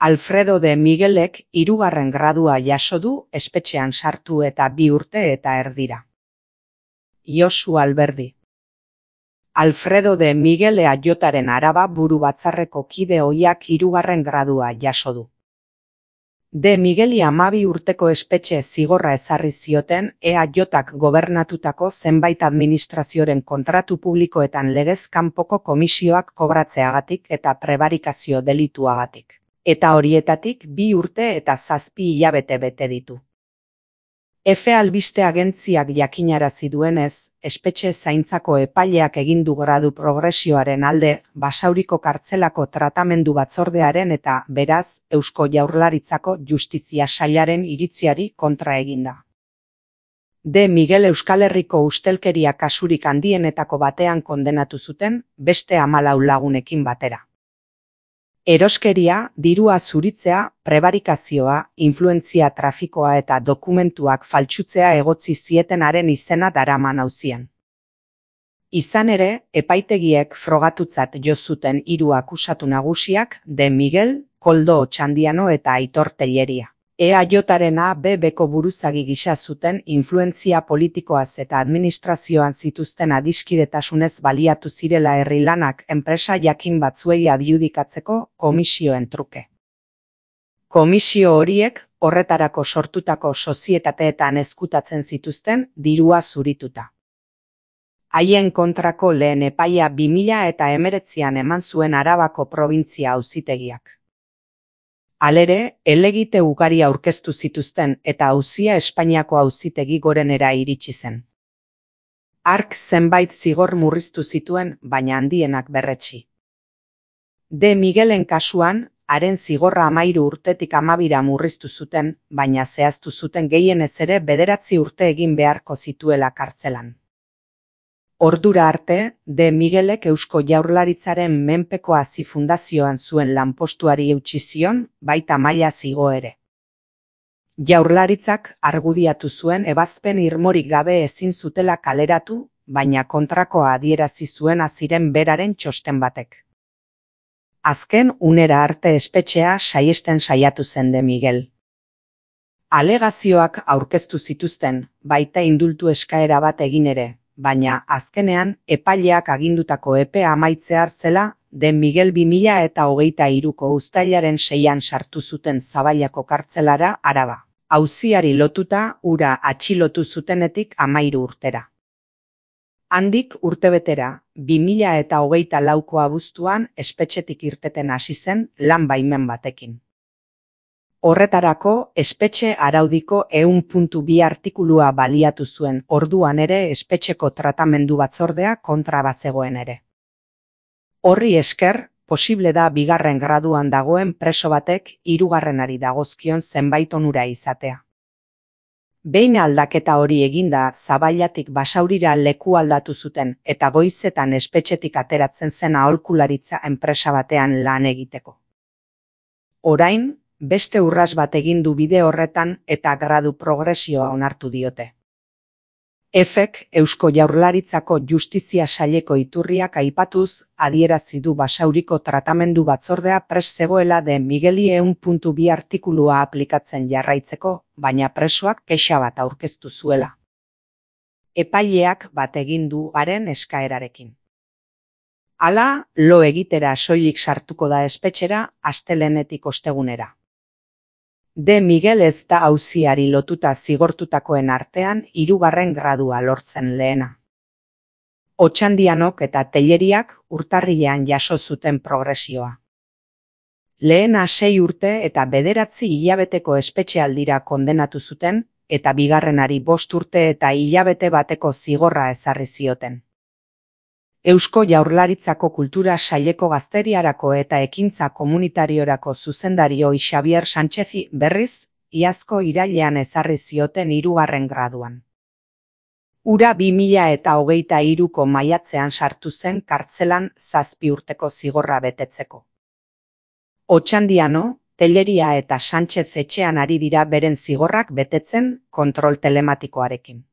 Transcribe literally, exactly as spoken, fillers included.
Alfredo de Miguelek hirugarren gradua jaso du espetxean sartu eta bi urte eta erdira. Josu Alberdi. Alfredo de Miguel eajotaren Araba buru batzarreko kide ohiak hirugarren gradua jaso du. De Migueli hamabi urteko espetxe zigorra ezarri zioten eajotak gobernatutako zenbait administrazioren kontratu publikoetan legez kanpoko komisioak kobratzeagatik eta prebarikazio delituagatik. Eta horietatik bi urte eta zazpi hilabete bete ditu. Efe albiste agentziak jakinarazi duenez, espetxe zaintzako epaileak egin du gradu progresioaren alde Basauriko kartzelako tratamendu batzordearen eta, beraz, Eusko Jaurlaritzako Justizia Sailaren iritziari kontra eginda. De Miguel Euskal Herriko ustelkeria kasurik handienetako batean kondenatu zuten, beste hamalau lagunekin batera. Eroskeria, dirua zuritzea, prebarikazioa, influentzia trafikoa eta dokumentuak faltsutzea egotzi zietenaren izena daraman auzian. Izan ere, epaitegiek frogatutzat jo zuten hiru akusatu nagusiak, De Miguel, Koldo Otxandiano eta Aitor Telleria. eajotaren A B Bko buruzagi gisa zuten influentzia politikoaz eta administrazioan zituzten adiskidetasunez baliatu zirela herri lanak enpresa jakin batzuei adjudikatzeko komisioen truke. Komisio horiek horretarako sortutako sozietateetan ezkutatzen zituzten dirua zurituta. Haien kontrako lehen epaia bi mila eta hemeretzian eman zuen Arabako probintzia auzitegiak. Halere, helegite ugari aurkeztu zituzten eta auzia Espainiako auzitegi gorenera iritsi zen. Hark zenbait zigor murriztu zituen, baina handienak berretsi. De Miguelen kasuan, haren zigorra hamairu urtetik hamabira murriztu zuten, baina zehaztu zuten gehienez ere bederatzi urte egin beharko zituela kartzelan. Ordura arte, De Miguelek Eusko Jaurlaritzaren menpeko hazi fundazioan zuen lanpostuari eutsi zion, baita maila zigo ere. Jaurlaritzak argudiatu zuen ebazpen irmorik gabe ezin zutela kaleratu, baina kontrakoa adierazi zuen aziren beraren txosten batek. Azken unera arte espetxea saiesten saiatu zen De Miguel. Alegazioak aurkeztu zituzten, baita indultu eskaera bat egin ere, baina azkenean epaileak agindutako epea amaitzear zela De Miguel bi mila eta hogeita hiruko uztailaren seian sartu zuten Zabailako kartzelara Araba. Auziari lotuta hura atxilotu zutenetik hamairu urtera. Handik urtebetera, bi mila eta hogeita lauko abuztuan espetxetik irteten hasi zen lan baimen batekin. Horretarako, espetxe araudiko ehun puntu bi artikulua baliatu zuen, orduan ere espetxeko tratamendu batzordea kontra bazegoen ere. Horri esker, posible da bigarren graduan dagoen preso batek hirugarrenari dagozkion zenbait onura izatea. Behin aldaketa hori eginda, Zabailatik Basaurira leku aldatu zuten eta goizetan espetxetik ateratzen zen aholkularitza enpresa batean lan egiteko. Orain, beste urras bat egin du bide horretan eta gradu progresioa onartu diote. Efek Eusko Jaurlaritzako Justizia Saileko iturriak aipatuz adierazi du Basauriko tratamendu batzordea prest zegoela De Migueli ehun puntu bi artikulua aplikatzen jarraitzeko, baina presoak kexa bat aurkeztu zuela. Epaileak bat egin du haren eskaerarekin. Hala, lo egitera soilik sartuko da espetxera astelehenetik ostegunera. De Miguel ez da auziari lotuta zigortutakoen artean hirugarren gradua lortzen lehena. Otxandianok eta Telleriak urtarrilean jaso zuten progresioa. Lehena sei urte eta bederatzi hilabeteko espetxealdira kondenatu zuten eta bigarrenari bost urte eta hilabete bateko zigorra ezarri zioten. Eusko Jaurlaritzako Kultura Saileko Gazteriarako eta Ekintza Komunitariorako zuzendari Xabier Sánchezi berriz, iazko irailean ezarri zioten hirugarren graduan. Hura bi mila eta hogeita hiruko maiatzean sartu zen kartzelan zazpi urteko zigorra betetzeko. Otxandiano, Telleria eta Sánchez etxean ari dira beren zigorrak betetzen kontrol telematikoarekin.